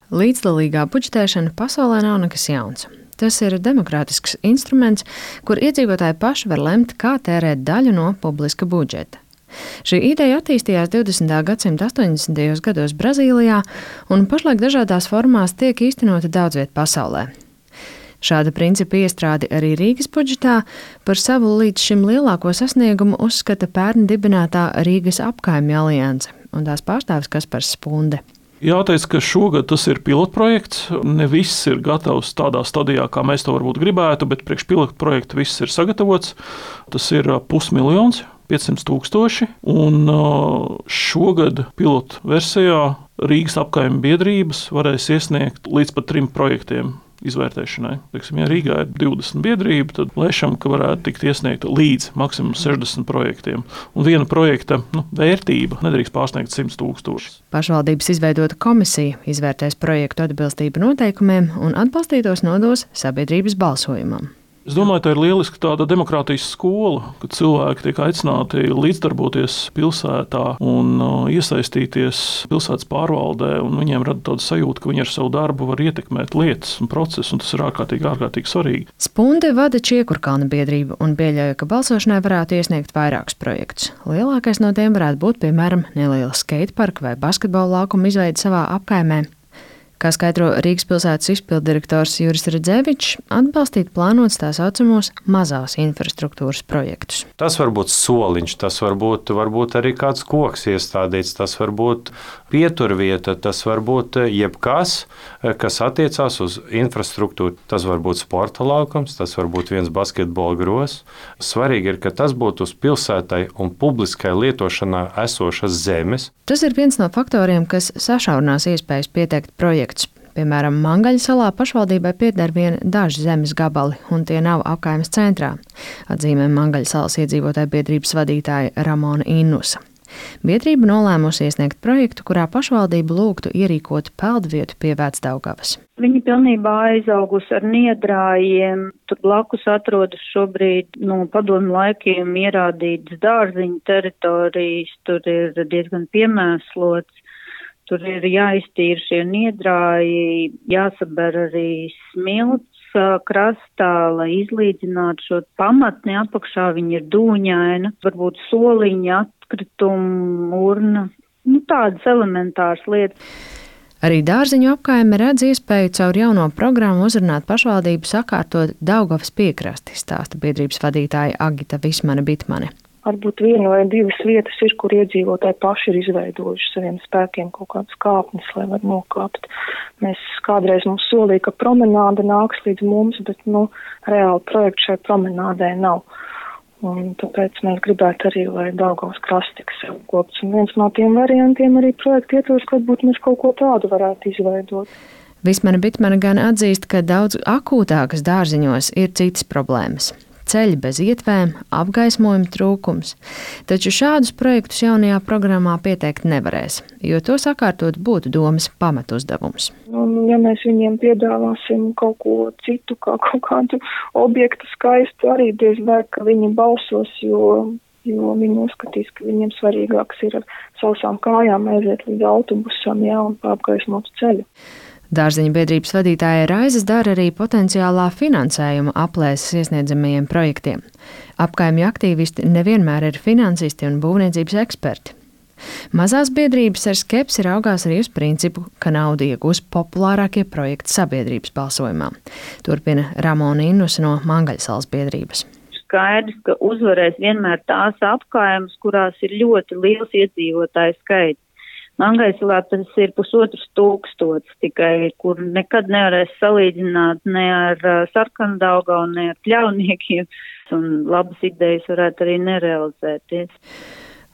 Līdzdalīgā budžetēšana pasaulē nav nekas jauns. Tas ir demokrātisks instruments, kur iedzīvotāji paši var lemt, kā tērēt daļu no publiska budžeta. Šī ideja attīstījās 20. gadsimta 80. gados Brazīlijā un pašlaik dažādās formās tiek īstenota daudz viet pasaulē. Šāda principa iestrādi arī Rīgas budžetā par savu līdz šim lielāko sasniegumu uzskata pērn dibinātā Rīgas apkaimju alianse un tās pārstāvis Kaspars Spunde. Jāteic, ka šogad tas ir pilotprojekts. Ne viss ir gatavs tādā stadijā, kā mēs to varbūt gribētu, bet priekš pilotprojekta viss ir sagatavots. Tas ir 500 000, 500 000, un šogad pilotu versijā Rīgas apkaimju biedrības varēs iesniegt līdz pat 3 projektiem izvērtēšanai. Ja Rīgā ir 20 biedrība, tad lēšam, ka varētu tikt iesniegta līdz maksimums 60 projektiem. Un viena projekta vērtība nedrīkst pārsniegt 100 000. Pašvaldības izveidota komisija izvērtēs projektu atbilstību noteikumiem un atbalstītos nodos sabiedrības balsojumam. Es domāju, tā ir lieliska tāda demokrātijas skola, kad cilvēki tiek aicināti līdzdarboties pilsētā un iesaistīties pilsētas pārvaldē, un viņiem rada tādu sajūtu, ka viņi ar savu darbu var ietekmēt lietas un procesus, un tas ir ārkārtīgi svarīgi. Spunde vada Čiekurkalna biedrību un pieļauj, ka balsošanai varētu iesniegt vairākus projektus. Lielākais no tiem varētu būt, piemēram, neliela skateparka vai basketbola laukuma izveide savā apkaimē. Kā skaidro Rīgas pilsētas izpilddirektors Juris Redzevičs, atbalstīt plānots tā saucamos mazās infrastruktūras projektus. Tas var būt soliņš, tas var būt arī kāds koks iestādīts, tas var būt pieturvieta, tas var būt jebkas, kas attiecās uz infrastruktūru. Tas var būt sporta laukums, tas var būt viens basketbola gros. Svarīgi ir, ka tas būtu uz pilsētai un publiskai lietošanā esošas zemes. Tas ir viens no faktoriem, kas sašaurinās iespējas pieteikt projektus. Piemēram, Mangaļa salā pašvaldībai pieder vien daži zemes gabali, un tie nav apkaimes centrā, atzīmē Mangaļa salas iedzīvotāju biedrības vadītāja Ramona Innusa. Biedrība nolēmusi iesniegt projektu, kurā pašvaldība lūgtu ierīkot peldvietu pie Vecdaugavas. Viņi pilnībā aizaugusi ar niedrājiem. Tur blakus atrodas šobrīd no padomju laikiem ierādītas dārziņu teritorijas, tur ir diezgan piemēslots. Tur ir jāiztīra šie niedrāji, jāsaber arī smilts krastā, lai izlīdzinātu šo pamatni apakšā. Viņa ir dūņaina, varbūt soliņa, atkritumu, urna, tādas elementāras lietas. Arī Dārziņu apkaime redz iespēju caur jauno programmu uzrunāt pašvaldību sakārtot Daugavas piekrasti, stāsta biedrības vadītāja Agita Vismane-Bitmane. Varbūt 1 vai 2 vietas ir, kur iedzīvotāji paši ir izveidojuši saviem spēkiem kaut kādas kāpnes, lai var nokāpt. Kādreiz mums solīja, ka promenāde nāks līdz mums, bet reāli projektu šai promenādē nav. Un tāpēc mēs gribētu arī, lai Daugavas krasts tiks apkopts. Un viens no tiem variantiem arī projektu ietvaros, ka varbūt mēs kaut ko tādu varētu izveidot. Vismane-Bitmane gan atzīst, ka daudz akūtākas Dārziņos ir citas problēmas. Ceļi bez ietvēm, apgaismojuma trūkums, taču šādus projektus jaunajā programmā pieteikt nevarēs, jo to sakārtot būtu domas pamatuzdevums. Ja mēs viņiem piedāvāsim kaut ko citu, kā kaut kādu objektu skaistu, arī diez vai, ka viņi balsos, jo viņi uzskatīs, ka viņiem svarīgāks ir ar sausām kājām aiziet līdz autobusam, un apgaismot ceļu. Dārziņu biedrības vadītāja Raizes dara arī potenciālā finansējuma aplēses iesniedzamajiem projektiem. Apkaimju aktīvisti nevienmēr ir finansisti un būvniecības eksperti. Mazās biedrības ar skepsi raugās arī uz principu, ka naudu iegūs populārākie projekti sabiedrības balsojumā. Turpina Ramona Innusa no Mangaļa salas biedrības. Skaidrs, ka uzvarēs vienmēr tās apkaimes, kurās ir ļoti liels iedzīvotāju skaits. Mangaļsalā tas ir 1500 tikai, kur nekad nevarēs salīdzināt ne ar Sarkandaugavu, ne ar Pļauniekiem, un labas idejas varētu arī nerealizēties.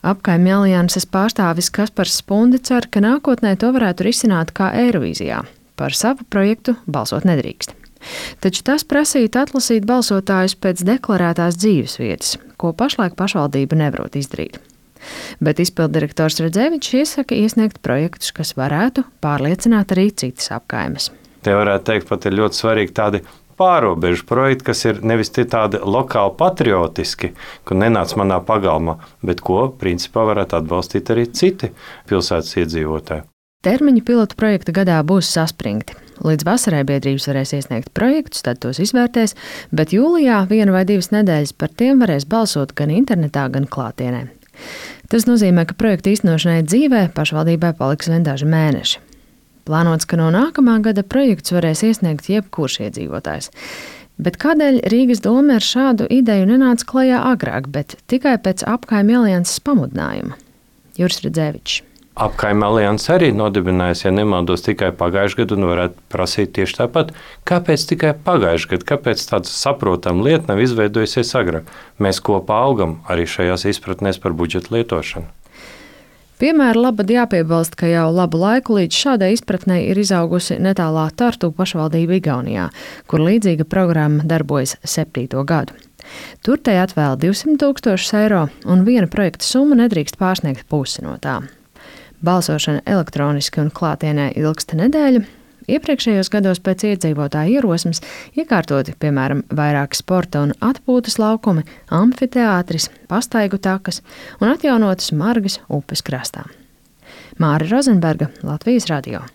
Apkaimju alianses pārstāvis Kaspars Spunde cer, ka nākotnē to varētu risināt kā Eirovīzijā. Par savu projektu balsot nedrīkst. Taču tas prasītu atlasīt balsotājus pēc deklarētās dzīvesvietas, ko pašlaik pašvaldība nevarot izdarīt. Bet izpilddirektors Redzevičs iesaka iesniegt projektus, kas varētu pārliecināt arī citas apkaimes. Te varētu teikt, pat ir ļoti svarīgi tādi pārobežu projekti, kas ir nevis tādi lokāli patriotiski, kur nenāc manā pagalmā, bet ko principā varētu atbalstīt arī citi pilsētas iedzīvotāji. Termiņi pilotu projekta gadā būs saspringti. Līdz vasarai biedrības varēs iesniegt projektus, tad tos izvērtēs, bet jūlijā 1 vai 2 nedēļas par tiem varēs balsot gan internetā, gan klātienē. Tas nozīmē, ka projekta īstenošanai dzīvē pašvaldībai paliks vien daži mēneši. Plānots, ka no nākamā gada projekts varēs iesniegt jebkurš iedzīvotājs. Bet kādēļ Rīgas doma ar šādu ideju nenāca klajā agrāk, bet tikai pēc Apkaimju alianses pamudinājuma? Juris Redzēvičs. Apkaimju alianse arī nodibinājusi, ja nemaldos, tikai pagājušajā gadā, un varētu prasīt tieši tāpat. Kāpēc tikai pagājušajā gadā? Kāpēc tāda saprotama lieta nav izveidojusies agrāk? Mēs kopā augam arī šajās izpratnēs par budžeta lietošanu. Piemēra labad jāpiebilst, ka jau labu laiku līdz šādai izpratnei ir izaugusi netālā Tartu pašvaldība Igaunijā, kur līdzīga programma darbojas 7. gadu. Tur tai atvēl 200 000 eiro, un viena projekta summa nedrīkst pārsniegt pusi no tā. Balsošana elektroniski un klātienē ilgsta nedēļu. Iepriekšējos gados pēc iedzīvotāju ierosmes iekārtoti, piemēram, vairāki sporta un atpūtas laukumi, amfiteātris, pastaigu takas un atjaunotas Margas upes krastā. Māra Rozenberga, Latvijas radio.